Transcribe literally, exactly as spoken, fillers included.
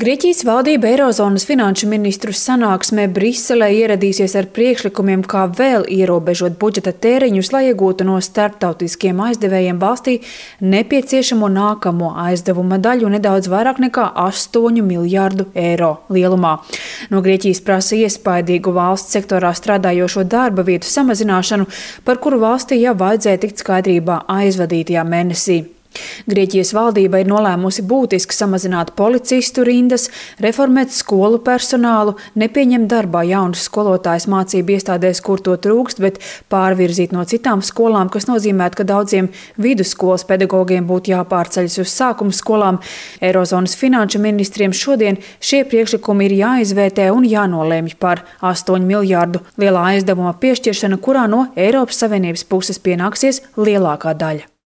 Grieķijas valdība Eirozonas finanšu ministru sanāksmē Briselē ieradīsies ar priekšlikumiem, kā vēl ierobežot budžeta tēriņus, lai iegūtu no starptautiskiem aizdevējiem valstī nepieciešamo nākamo aizdevuma daļu nedaudz vairāk nekā astoņu miljārdu eiro lielumā. No Grieķijas prasa iespaidīgu valsts sektorā strādājošo darba vietu samazināšanu, par kuru valstī jau vajadzēja tikt skaidrībā aizvadītajā mēnesī. Grieķijas valdība ir nolēmusi būtiski samazināt policistu rindas, reformēt skolu personālu, nepieņemt darbā jaunus skolotājus mācību iestādēs, kur to trūkst, bet pārvirzīt no citām skolām, kas nozīmētu, ka daudziem vidusskolas pedagogiem būtu jāpārceļas uz sākuma skolām. Eirozonas finanšu ministriem šodien šie priekšlikumi ir jāizvērtē un jānolēmj par astoņu miljārdu lielā aizdevuma piešķiršanu, kurā no Eiropas Savienības puses pienāksies lielākā daļa.